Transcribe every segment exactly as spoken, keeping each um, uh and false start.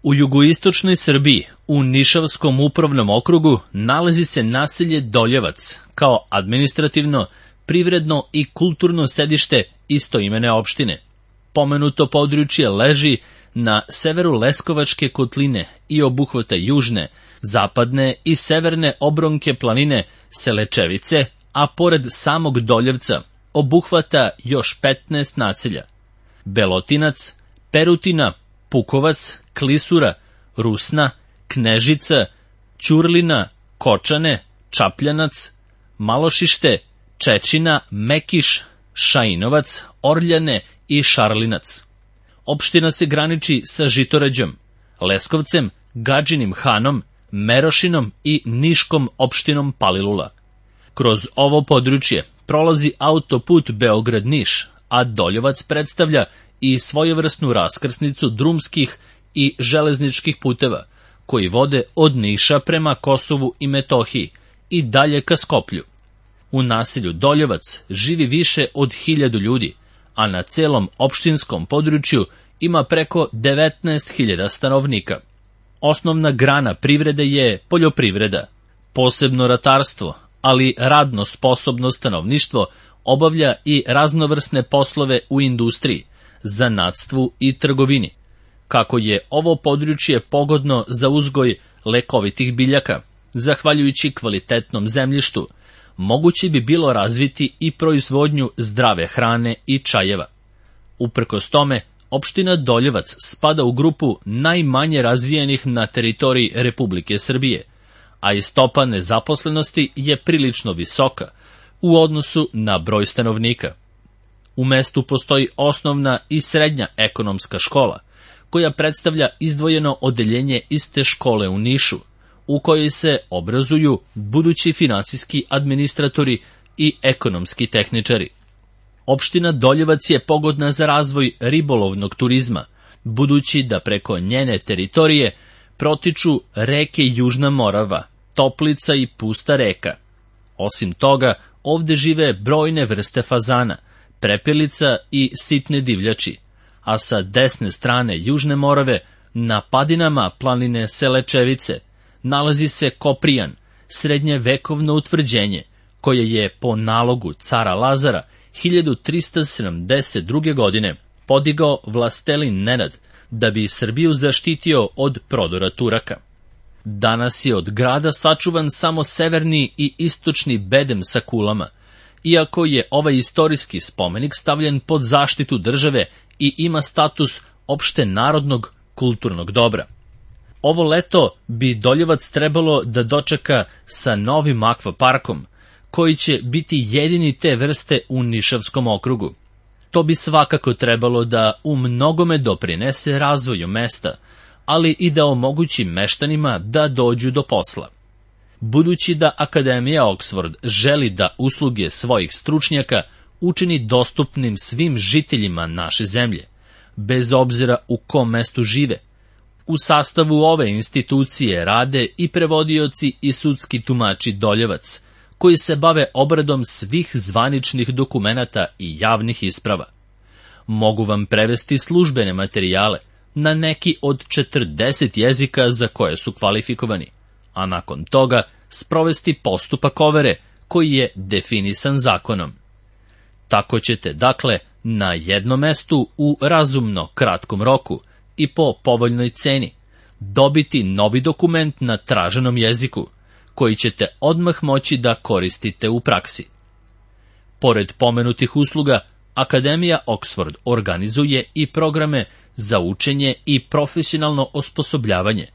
U jugoistočnoj Srbiji, u Nišavskom upravnom okrugu, nalazi se naselje Doljevac, kao administrativno, privredno i kulturno sedište istoimene opštine. Pomenuto područje leži na severu Leskovačke kotline i obuhvata južne, zapadne i severne obronke planine Selečevice, a pored samog Doljevca obuhvata još petnaest naselja: Belotinac, Perutina, Pukovac, Klisura, Rusna, Knežica, Ćurlina, Kočane, Čapljanac, Malošište, Čečina, Mekiš, Šainovac, Orljane i Šarlinac. Opština se graniči sa Žitorađom, Leskovcem, Gadžinim Hanom, Merošinom i Niškom opštinom Palilula. Kroz ovo područje prolazi autoput Beograd-Niš, a Doljevac predstavlja i svojevrsnu raskrsnicu drumskih i železničkih puteva, koji vode od Niša prema Kosovu i Metohiji i dalje ka Skoplju. U naselju Doljevac živi više od hiljadu ljudi, a na celom opštinskom području ima preko devetnaest hiljada stanovnika. Osnovna grana privrede je poljoprivreda, posebno ratarstvo, ali radno sposobno stanovništvo obavlja i raznovrsne poslove u industriji, zanatstvu i trgovini. Kako je ovo područje pogodno za uzgoj lekovitih biljaka, zahvaljujući kvalitetnom zemljištu, moguće bi bilo razviti i proizvodnju zdrave hrane i čajeva. Uprkos tome, opština Doljevac spada u grupu najmanje razvijenih na teritoriji Republike Srbije, a i stopa nezaposlenosti je prilično visoka u odnosu na broj stanovnika. U mestu postoji osnovna i srednja ekonomska škola, koja predstavlja izdvojeno odeljenje iste škole u Nišu, u kojoj se obrazuju budući finansijski administratori i ekonomski tehničari. Opština Doljevac je pogodna za razvoj ribolovnog turizma, budući da preko njene teritorije protiču reke Južna Morava, Toplica i Pusta reka. Osim toga, ovde žive brojne vrste fazana, prepelica i sitne divljači, a sa desne strane Južne Morave, na padinama planine Selečevice, nalazi se Koprijan, srednjevekovno utvrđenje, koje je po nalogu cara Lazara hiljadu trista sedamdeset druge. godine podigao vlastelin Nenad da bi Srbiju zaštitio od prodora Turaka. Danas je od grada sačuvan samo severni i istočni bedem sa kulama, iako je ovaj istorijski spomenik stavljen pod zaštitu države i ima status opšte narodnog kulturnog dobra. Ovo leto bi Doljevac trebalo da dočeka sa novim akvaparkom, koji će biti jedini te vrste u Nišavskom okrugu. To bi svakako trebalo da u mnogome doprinese razvoju mesta, ali i da omogući meštanima da dođu do posla. Budući da Akademija Oxford želi da usluge svojih stručnjaka učini dostupnim svim žiteljima naše zemlje, bez obzira u kom mestu žive, u sastavu ove institucije rade i prevodioci i sudski tumači Doljevac, koji se bave obradom svih zvaničnih dokumenata i javnih isprava. Mogu vam prevesti službene materijale na neki od četrdeset jezika za koje su kvalifikovani, a nakon toga sprovesti postupak overe koji je definisan zakonom. Tako ćete, dakle, na jednom mestu u razumno kratkom roku i po povoljnoj ceni dobiti novi dokument na traženom jeziku, koji ćete odmah moći da koristite u praksi. Pored pomenutih usluga, Akademija Oxford organizuje i programe za učenje i profesionalno osposobljavanje,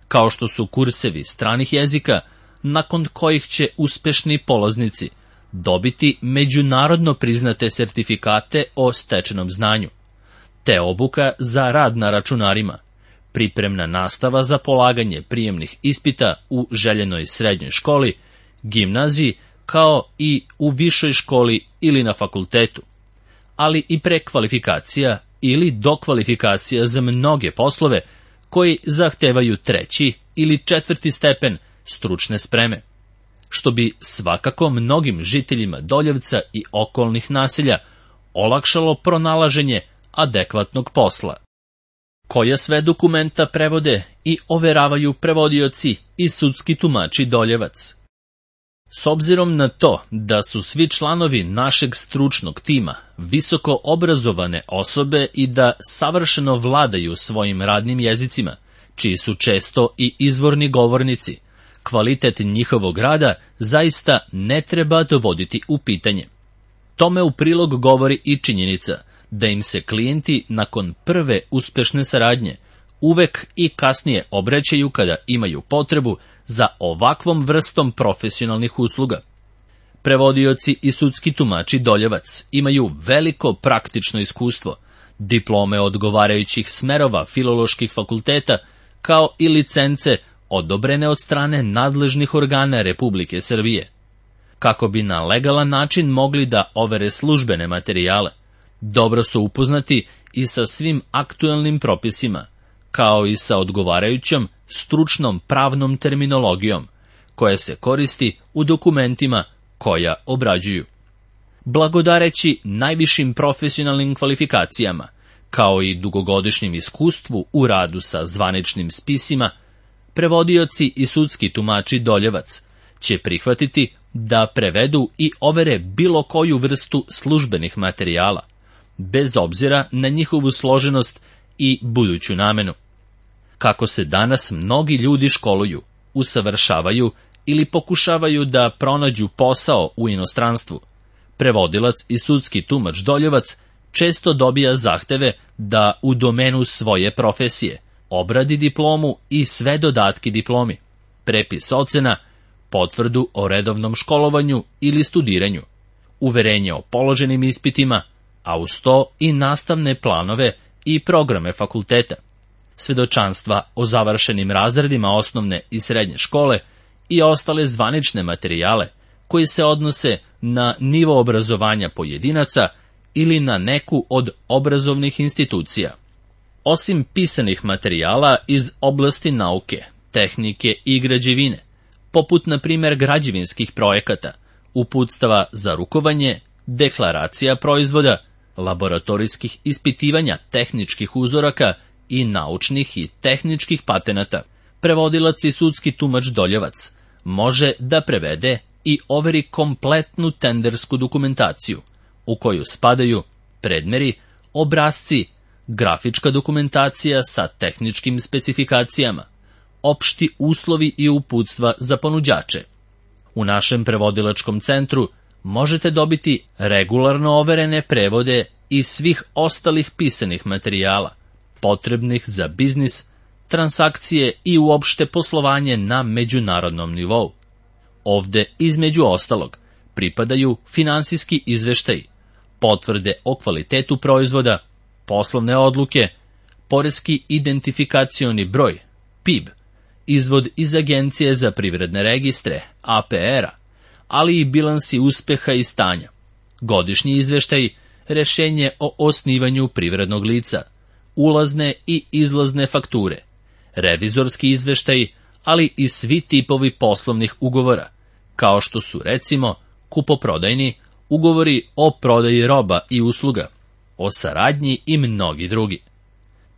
kao što su kursevi stranih jezika, nakon kojih će uspešni polaznici dobiti međunarodno priznate sertifikate o stečenom znanju, te obuka za rad na računarima, pripremna nastava za polaganje prijemnih ispita u željenoj srednjoj školi, gimnaziji, kao i u višoj školi ili na fakultetu, ali i prekvalifikacija ili dokvalifikacija za mnoge poslove koji zahtevaju treći ili četvrti stepen stručne spreme, što bi svakako mnogim žiteljima Doljevca i okolnih naselja olakšalo pronalaženje adekvatnog posla. koja sve dokumenta prevode i overavaju prevodioci i sudski tumači Doljevac. S obzirom na to da su svi članovi našeg stručnog tima visoko obrazovane osobe i da savršeno vladaju svojim radnim jezicima, čiji su često i izvorni govornici, kvalitet njihovog rada zaista ne treba dovoditi u pitanje. Tome u prilog govori i činjenica da im se klijenti nakon prve uspešne saradnje uvek i kasnije obraćaju kada imaju potrebu za ovakvom vrstom profesionalnih usluga. Prevodioci i sudski tumači Doljevac imaju veliko praktično iskustvo, diplome odgovarajućih smerova filoloških fakulteta, kao i licence odobrene od strane nadležnih organa Republike Srbije. Kako bi na legalan način mogli da overe službene materijale, dobro su upoznati i sa svim aktuelnim propisima, kao i sa odgovarajućom stručnom pravnom terminologijom, koja se koristi u dokumentima koja obrađuju. Blagodareći najvišim profesionalnim kvalifikacijama, kao i dugogodišnjem iskustvu u radu sa zvaničnim spisima, prevodioci i sudski tumači Doljevac će prihvatiti da prevedu i overe bilo koju vrstu službenih materijala, bez obzira na njihovu složenost i buduću namenu. Kako se danas mnogi ljudi školuju, usavršavaju ili pokušavaju da pronađu posao u inostranstvu, prevodilac i sudski tumač Doljevac često dobija zahteve da u domenu svoje profesije obradi diplomu i sve dodatke diplomi, prepis ocena, potvrdu o redovnom školovanju ili studiranju, uverenje o položenim ispitima, a uz to i nastavne planove i programe fakulteta, svedočanstva o završenim razredima osnovne i srednje škole i ostale zvanične materijale koji se odnose na nivo obrazovanja pojedinaca ili na neku od obrazovnih institucija. Osim pisanih materijala iz oblasti nauke, tehnike i građevine, poput na primjer građevinskih projekata, uputstava za rukovanje, deklaracija proizvoda, laboratorijskih ispitivanja tehničkih uzoraka i naučnih i tehničkih patenata, prevodilac i sudski tumač Doljevac može da prevede i overi kompletnu tendersku dokumentaciju, u koju spadaju predmeri, obrasci, grafička dokumentacija sa tehničkim specifikacijama, opšti uslovi i uputstva za ponuđače. U našem prevodilačkom centru možete dobiti regularno overene prevode i svih ostalih pisanih materijala, potrebnih za biznis, transakcije i uopšte poslovanje na međunarodnom nivou. Ovde, između ostalog, pripadaju finansijski izveštaji, potvrde o kvalitetu proizvoda, poslovne odluke, poreski identifikacioni broj, P I B, izvod iz Agencije za privredne registre, A P R-a, ali i bilansi uspeha i stanja, godišnji izveštaj, rešenje o osnivanju privrednog lica, ulazne i izlazne fakture, revizorski izveštaj, ali i svi tipovi poslovnih ugovora, kao što su recimo kupoprodajni, ugovori o prodaji roba i usluga, o saradnji i mnogi drugi.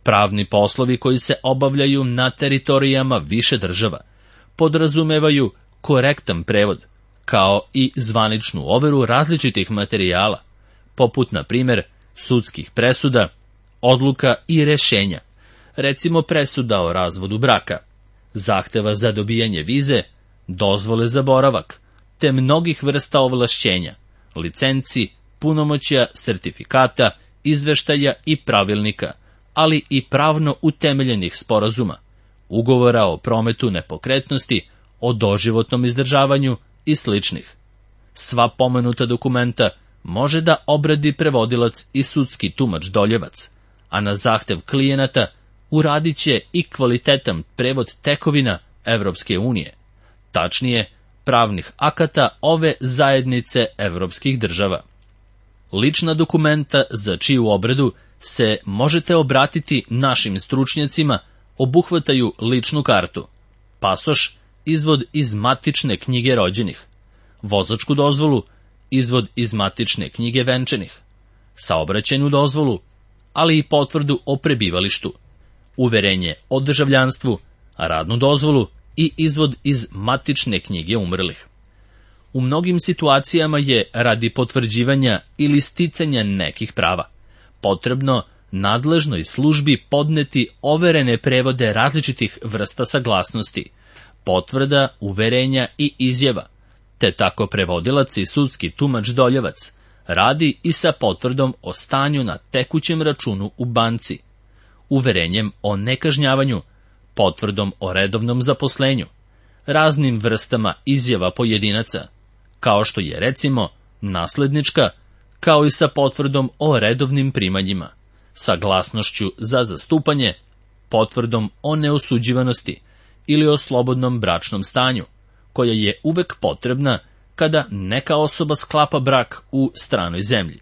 Pravni poslovi koji se obavljaju na teritorijama više država podrazumevaju korektan prevod, kao i zvaničnu overu različitih materijala, poput, na primjer, sudskih presuda, odluka i rešenja, recimo presuda o razvodu braka, zahteva za dobijanje vize, dozvole za boravak, te mnogih vrsta ovlašćenja, licenci, punomoćja, sertifikata, izveštaja i pravilnika, ali i pravno utemeljenih sporazuma, ugovora o prometu nepokretnosti, o doživotnom izdržavanju i sličnih. Sva pomenuta dokumenta može da obradi prevodilac i sudski tumač Doljevac, a na zahtev klijenata uradit će i kvalitetan prevod tekovina Evropske unije, tačnije pravnih akata ove zajednice evropskih država. Lična dokumenta za čiju obradu se možete obratiti našim stručnjacima obuhvataju ličnu kartu, pasoš, izvod iz matične knjige rođenih, vozačku dozvolu, izvod iz matične knjige venčanih, saobraćajnu dozvolu, ali i potvrdu o prebivalištu, uverenje o državljanstvu, radnu dozvolu i izvod iz matične knjige umrlih. U mnogim situacijama je radi potvrđivanja ili sticanja nekih prava potrebno nadležnoj službi podneti overene prevode različitih vrsta saglasnosti, potvrda, uverenja i izjava, te tako prevodilac i sudski tumač Doljevac radi i sa potvrdom o stanju na tekućem računu u banci, uverenjem o nekažnjavanju, potvrdom o redovnom zaposlenju, raznim vrstama izjava pojedinaca, kao što je recimo naslednička, kao i sa potvrdom o redovnim primanjima, saglasnošću za zastupanje, potvrdom o neosuđivanosti ili o slobodnom bračnom stanju, koja je uvek potrebna kada neka osoba sklapa brak u stranoj zemlji.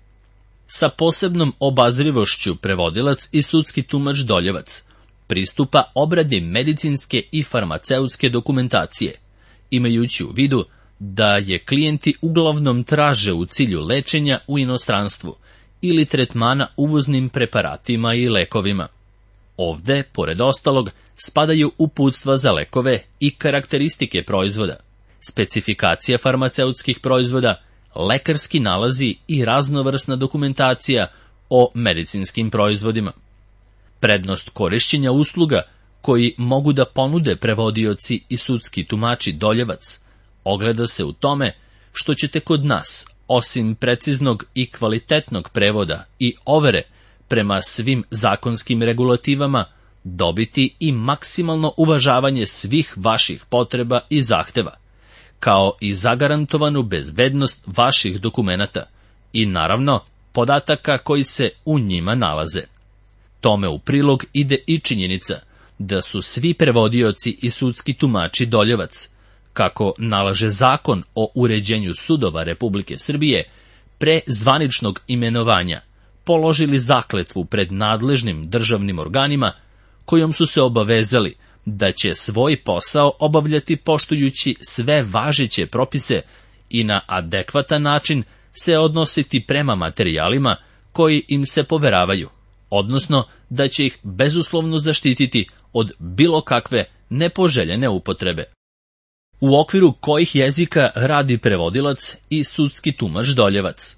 Sa posebnom obazrivošću prevodilac i sudski tumač Doljevac pristupa obradi medicinske i farmaceutske dokumentacije, imajući u vidu da je klijenti uglavnom traže u cilju lečenja u inostranstvu ili tretmana uvoznim preparatima i lekovima. Ovde, pored ostalog, spadaju uputstva za lekove i karakteristike proizvoda, specifikacija farmaceutskih proizvoda, lekarski nalazi i raznovrsna dokumentacija o medicinskim proizvodima. Prednost korišćenja usluga koji mogu da ponude prevodioci i sudski tumači Doljevac ogleda se u tome što ćete kod nas, osim preciznog i kvalitetnog prevoda i overe prema svim zakonskim regulativama, dobiti i maksimalno uvažavanje svih vaših potreba i zahteva, kao i zagarantovanu bezbednost vaših dokumenata i, naravno, podataka koji se u njima nalaze. Tome u prilog ide i činjenica da su svi prevodioci i sudski tumači Doljevac, kako nalaže Zakon o uređenju sudova Republike Srbije, pre zvaničnog imenovanja položili zakletvu pred nadležnim državnim organima, kojom su se obavezali da će svoj posao obavljati poštujući sve važeće propise i na adekvatan način se odnositi prema materijalima koji im se poveravaju, odnosno da će ih bezuslovno zaštititi od bilo kakve nepoželjene upotrebe. U okviru kojih jezika radi prevodilac i sudski tumač Doljevac?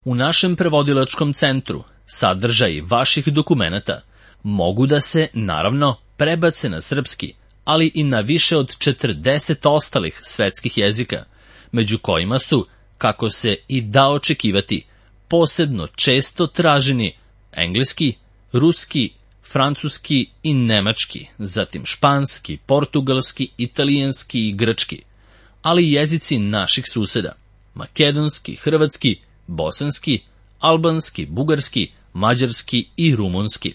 U našem prevodilačkom centru sadržaji vaših dokumenata mogu da se, naravno, prebace na srpski, ali i na više od četrdeset ostalih svetskih jezika, među kojima su, kako se i da očekivati, posebno često traženi engleski, ruski, francuski i nemački, zatim španski, portugalski, italijanski i grčki, ali i jezici naših suseda, makedonski, hrvatski, bosanski, albanski, bugarski, mađarski i rumunski.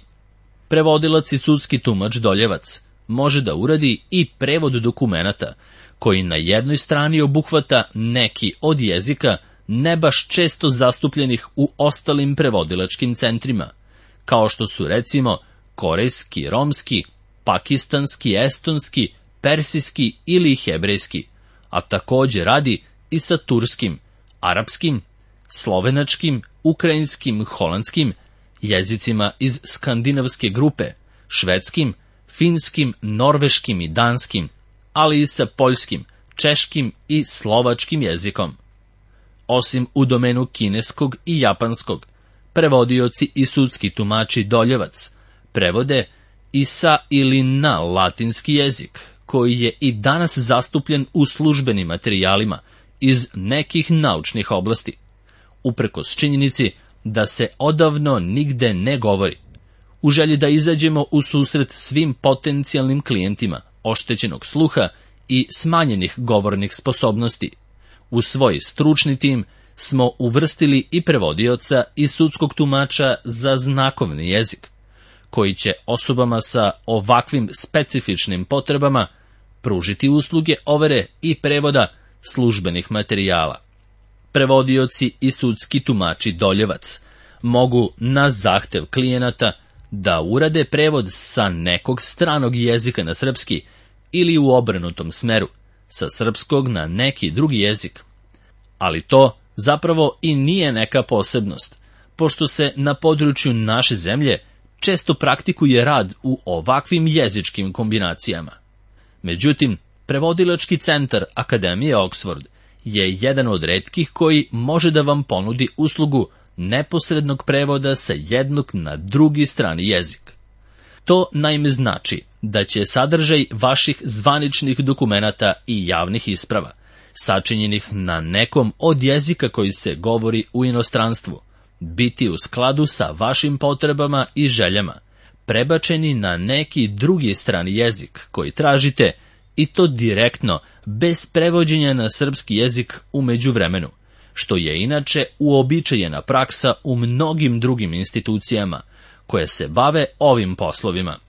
Prevodilac i sudski tumač Doljevac može da uradi i prevod dokumenata, koji na jednoj strani obuhvata neki od jezika ne baš često zastupljenih u ostalim prevodilačkim centrima, kao što su recimo korejski, romski, pakistanski, estonski, persijski ili hebrejski, a takođe radi i sa turskim, arapskim, slovenačkim, ukrajinskim, holandskim, jezicima iz skandinavske grupe, švedskim, finskim, norveškim i danskim, ali i sa poljskim, češkim i slovačkim jezikom. Osim u domenu kineskog i japanskog, prevodioci i sudski tumači Doljevac prevode i sa ili na latinski jezik, koji je i danas zastupljen u službenim materijalima iz nekih naučnih oblasti, uprkos činjenici da se odavno nigde ne govori, u želji da izađemo u susret svim potencijalnim klijentima oštećenog sluha i smanjenih govornih sposobnosti. U svoj stručni tim smo uvrstili i prevodioca i sudskog tumača za znakovni jezik, koji će osobama sa ovakvim specifičnim potrebama pružiti usluge overe i prevoda službenih materijala. Prevodioci i sudski tumači Doljevac mogu na zahtev klijenata da urade prevod sa nekog stranog jezika na srpski ili u obrnutom smeru, sa srpskog na neki drugi jezik. Ali to zapravo i nije neka posebnost, pošto se na području naše zemlje često praktikuje rad u ovakvim jezičkim kombinacijama. Međutim, Prevodilački centar Akademije Oxford je jedan od retkih koji može da vam ponudi uslugu neposrednog prevoda sa jednog na drugi strani jezik. To naime znači da će sadržaj vaših zvaničnih dokumenata i javnih isprava, sačinjenih na nekom od jezika koji se govori u inostranstvu, biti u skladu sa vašim potrebama i željama, prebačeni na neki drugi strani jezik koji tražite, i to direktno, bez prevođenja na srpski jezik u međuvremenu, što je inače uobičajena praksa u mnogim drugim institucijama koje se bave ovim poslovima.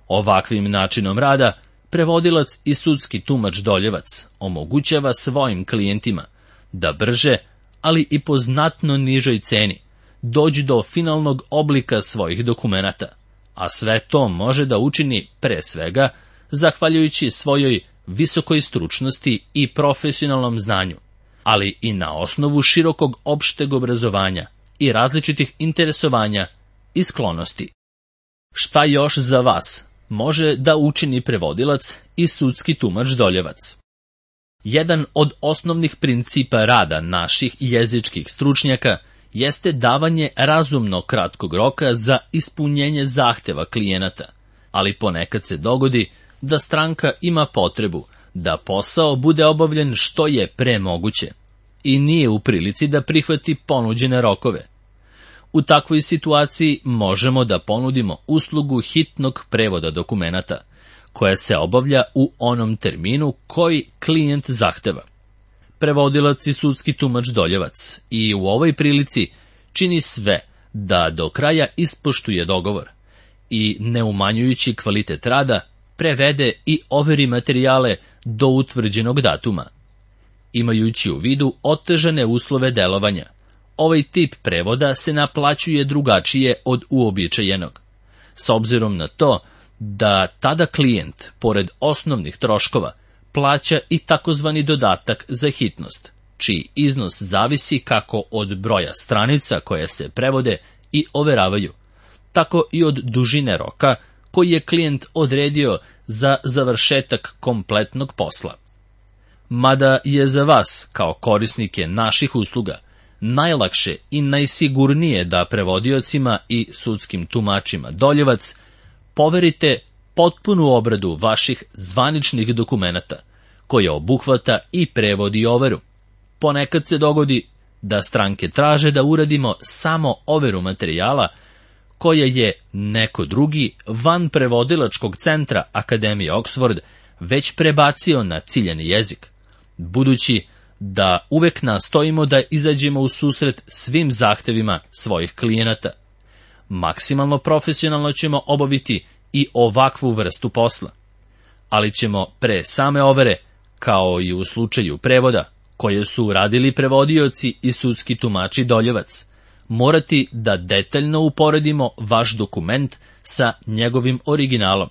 Ovakvim načinom rada prevodilac i sudski tumač Doljevac omogućava svojim klijentima da brže, ali i po znatno nižoj ceni, dođu do finalnog oblika svojih dokumenata, a sve to može da učini pre svega zahvaljujući svojoj visokoj stručnosti i profesionalnom znanju, ali i na osnovu širokog opšteg obrazovanja i različitih interesovanja i sklonosti. Šta još za vas može da učini prevodilac i sudski tumač Doljevac? Jedan od osnovnih principa rada naših jezičkih stručnjaka jeste davanje razumno kratkog roka za ispunjenje zahteva klijenata, ali ponekad se dogodi da stranka ima potrebu da posao bude obavljen što je pre moguće i nije u prilici da prihvati ponuđene rokove. U takvoj situaciji možemo da ponudimo uslugu hitnog prevoda dokumenata, koja se obavlja u onom terminu koji klijent zahteva. Prevodilac i sudski tumač Doljevac i u ovoj prilici čini sve da do kraja ispoštuje dogovor i, ne umanjujući kvalitet rada, prevede i overi materijale do utvrđenog datuma. Imajući u vidu otežane uslove delovanja, ovaj tip prevoda se naplaćuje drugačije od uobičajenog, s obzirom na to da tada klijent, pored osnovnih troškova, plaća i takozvani dodatak za hitnost, čiji iznos zavisi kako od broja stranica koje se prevode i overavaju, tako i od dužine roka koji je klijent odredio za završetak kompletnog posla. Mada je za vas, kao korisnike naših usluga, najlakše i najsigurnije da prevodiocima i sudskim tumačima Doljevac poverite potpunu obradu vaših zvaničnih dokumenata, koja obuhvata i prevod i overu. Ponekad se dogodi da stranke traže da uradimo samo overu materijala, koja je neko drugi van prevodilačkog centra Akademije Oxford već prebacio na ciljani jezik, budući da uvek nastojimo da izađemo u susret svim zahtevima svojih klijenata. Maksimalno profesionalno ćemo obaviti i ovakvu vrstu posla, ali ćemo pre same overe, kao i u slučaju prevoda, koje su uradili prevodioci i sudski tumači Doljevac, morati da detaljno uporedimo vaš dokument sa njegovim originalom.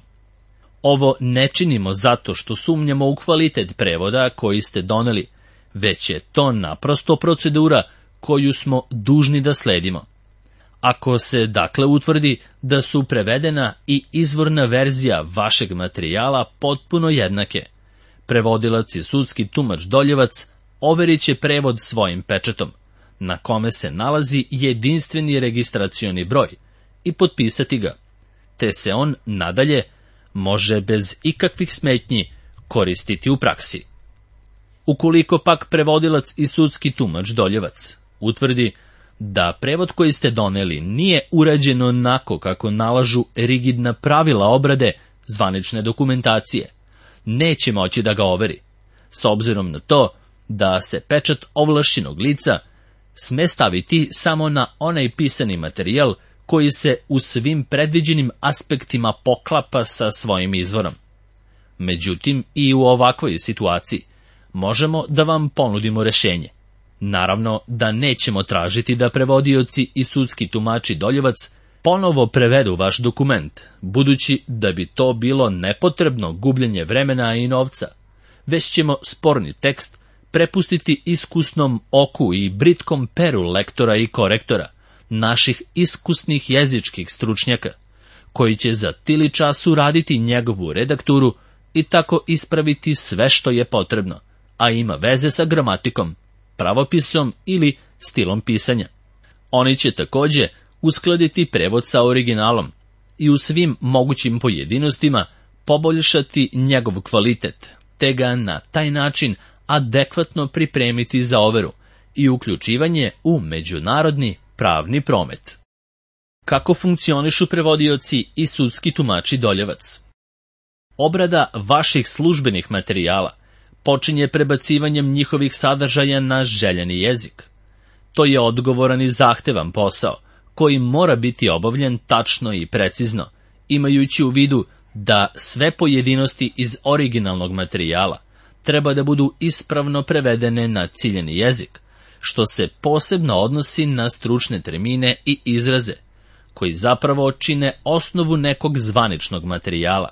Ovo ne činimo zato što sumnjamo u kvalitet prevoda koji ste doneli, već je to naprosto procedura koju smo dužni da sledimo. Ako se dakle utvrdi da su prevedena i izvorna verzija vašeg materijala potpuno jednake, prevodilac i sudski tumač Doljevac overit će prevod svojim pečatom, na kome se nalazi jedinstveni registracioni broj, i potpisati ga, te se on nadalje može bez ikakvih smetnji koristiti u praksi. Ukoliko pak prevodilac i sudski tumač Doljevac utvrdi da prevod koji ste doneli nije urađen onako kako nalažu rigidna pravila obrade zvanične dokumentacije, neće moći da ga overi, s obzirom na to da se pečat ovlašćenog lica sme staviti samo na onaj pisani materijal koji se u svim predviđenim aspektima poklapa sa svojim izvorom. Međutim, i u ovakvoj situaciji možemo da vam ponudimo rešenje. Naravno da nećemo tražiti da prevodioci i sudski tumači Doljevac ponovo prevedu vaš dokument, budući da bi to bilo nepotrebno gubljenje vremena i novca, već ćemo sporni tekst prepustiti iskusnom oku i britkom peru lektora i korektora, naših iskusnih jezičkih stručnjaka, koji će za tili čas uraditi njegovu redakturu i tako ispraviti sve što je potrebno, a ima veze sa gramatikom, pravopisom ili stilom pisanja. Oni će takođe uskladiti prevod sa originalom i u svim mogućim pojedinostima poboljšati njegov kvalitet, te ga na taj način adekvatno pripremiti za overu i uključivanje u međunarodni pravni promet. Kako funkcionišu prevodioci i sudski tumači Doljevac? Obrada vaših službenih materijala počinje prebacivanjem njihovih sadržaja na željeni jezik. To je odgovoran i zahtevan posao, koji mora biti obavljen tačno i precizno, imajući u vidu da sve pojedinosti iz originalnog materijala treba da budu ispravno prevedene na ciljeni jezik, što se posebno odnosi na stručne termine i izraze, koji zapravo čine osnovu nekog zvaničnog materijala.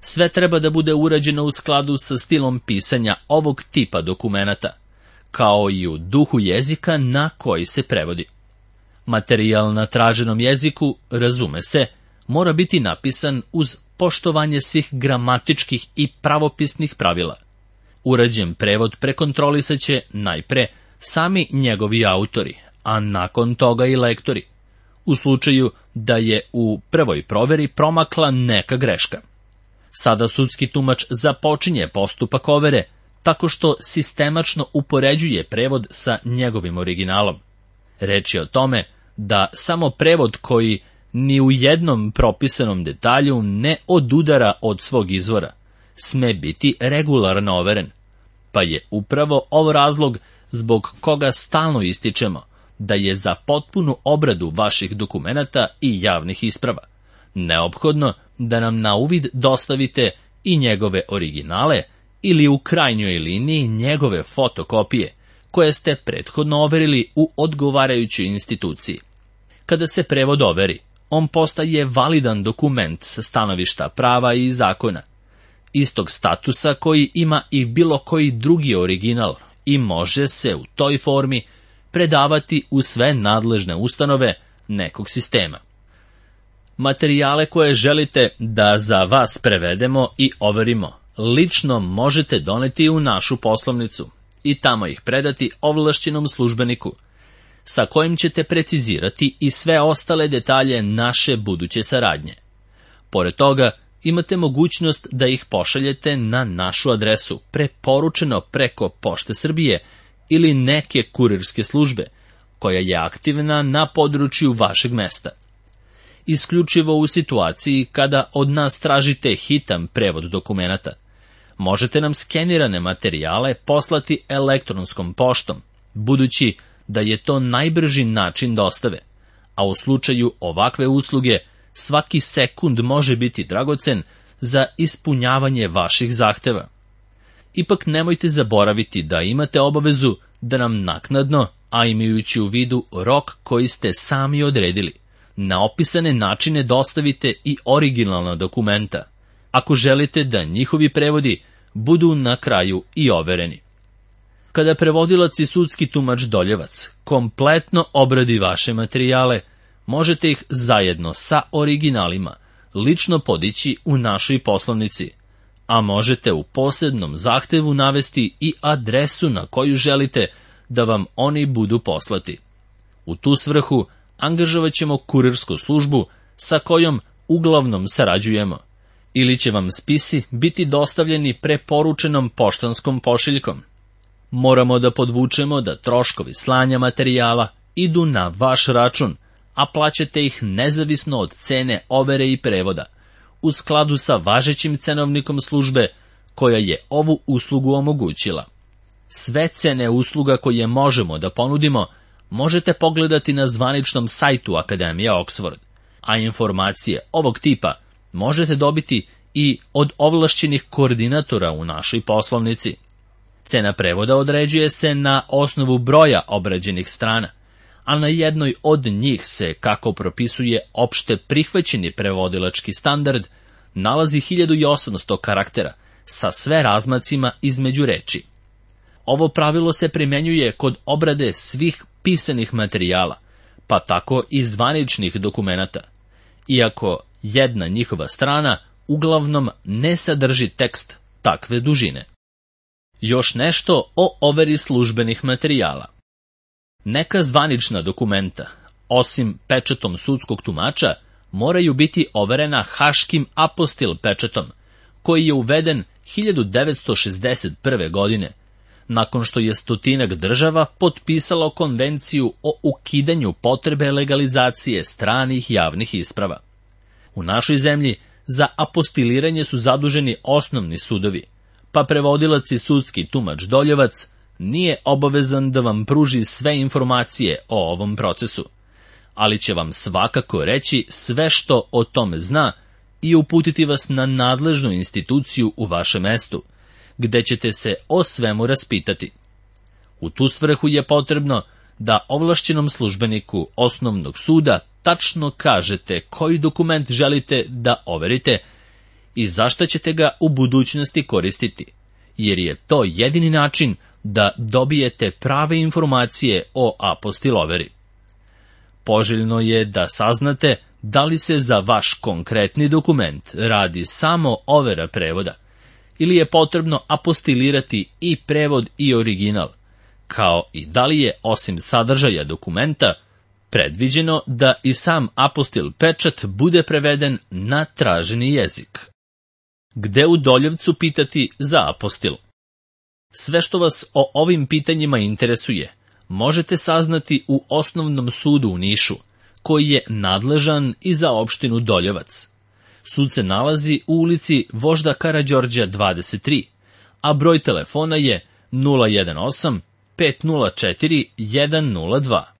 Sve treba da bude urađeno u skladu sa stilom pisanja ovog tipa dokumenata, kao i u duhu jezika na koji se prevodi. Materijal na traženom jeziku, razume se, mora biti napisan uz poštovanje svih gramatičkih i pravopisnih pravila. Urađen prevod prekontrolisaće najpre sami njegovi autori, a nakon toga i lektori, u slučaju da je u prvoj proveri promakla neka greška. Sada sudski tumač započinje postupak overe tako što sistemačno upoređuje prevod sa njegovim originalom. Reč je o tome da samo prevod koji ni u jednom propisanom detalju ne odudara od svog izvora sme biti regularno overen, pa je upravo ovo razlog zbog koga stalno ističemo da je za potpunu obradu vaših dokumenata i javnih isprava neophodno da nam na uvid dostavite i njegove originale ili u krajnjoj liniji njegove fotokopije, koje ste prethodno overili u odgovarajućoj instituciji. Kada se prevod overi, on postaje validan dokument sa stanovišta prava i zakona, istog statusa koji ima i bilo koji drugi original i može se u toj formi predavati u sve nadležne ustanove nekog sistema. Materijale koje želite da za vas prevedemo i overimo, lično možete doneti u našu poslovnicu i tamo ih predati ovlašćenom službeniku, sa kojim ćete precizirati i sve ostale detalje naše buduće saradnje. Pored toga, imate mogućnost da ih pošaljete na našu adresu, preporučeno preko Pošte Srbije ili neke kurirske službe, koja je aktivna na području vašeg mesta. Isključivo u situaciji kada od nas tražite hitan prevod dokumenata, možete nam skenirane materijale poslati elektronskom poštom, budući da je to najbrži način dostave, a u slučaju ovakve usluge svaki sekund može biti dragocen za ispunjavanje vaših zahteva. Ipak nemojte zaboraviti da imate obavezu da nam naknadno, a imajući u vidu rok koji ste sami odredili, na opisane načine dostavite i originalna dokumenta, ako želite da njihovi prevodi budu na kraju i overeni. Kada prevodilac i sudski tumač Doljevac kompletno obradi vaše materijale, možete ih zajedno sa originalima lično podići u našoj poslovnici, a možete u posebnom zahtevu navesti i adresu na koju želite da vam oni budu poslati. U tu svrhu angažovat ćemo kurirsku službu sa kojom uglavnom sarađujemo, ili će vam spisi biti dostavljeni preporučenom poštanskom pošiljkom. Moramo da podvučemo da troškovi slanja materijala idu na vaš račun, a plaćate ih nezavisno od cene overe i prevoda, u skladu sa važećim cenovnikom službe koja je ovu uslugu omogućila. Sve cene usluga koje možemo da ponudimo možete pogledati na zvaničnom sajtu Akademije Oxford, a informacije ovog tipa možete dobiti i od ovlašćenih koordinatora u našoj poslovnici. Cena prevoda određuje se na osnovu broja obrađenih strana, a na jednoj od njih se, kako propisuje opšte prihvaćeni prevodilački standard, nalazi hiljadu osamsto karaktera sa sve razmacima između reči. Ovo pravilo se primenjuje kod obrade svih pisanih materijala, pa tako i zvaničnih dokumenata, iako jedna njihova strana uglavnom ne sadrži tekst takve dužine. Još nešto o overi službenih materijala. Neka zvanična dokumenta, osim pečatom sudskog tumača, moraju biti overena haškim apostil pečatom, koji je uveden hiljadu devetsto šezdeset prve. godine, nakon što je stotinak država potpisalo konvenciju o ukidanju potrebe legalizacije stranih javnih isprava. U našoj zemlji za apostiliranje su zaduženi osnovni sudovi, pa prevodilac i sudski tumač Doljevac nije obavezan da vam pruži sve informacije o ovom procesu, ali će vam svakako reći sve što o tome zna i uputiti vas na nadležnu instituciju u vašem mestu, gde ćete se o svemu raspitati. U tu svrhu je potrebno da ovlašćenom službeniku osnovnog suda tačno kažete koji dokument želite da overite i zašto ćete ga u budućnosti koristiti, jer je to jedini način da dobijete prave informacije o apostiloveri. Poželjno je da saznate da li se za vaš konkretni dokument radi samo overa prevoda, ili je potrebno apostilirati i prevod i original, kao i da li je, osim sadržaja dokumenta, predviđeno da i sam apostil pečat bude preveden na traženi jezik. Gde u Doljevcu pitati za apostil? Sve što vas o ovim pitanjima interesuje, možete saznati u Osnovnom sudu u Nišu, koji je nadležan i za opštinu Doljevac. Sud se nalazi u ulici Vožda Karađorđa dvadeset tri, a broj telefona je nula jedan osam pet nula četiri jedan nula dva.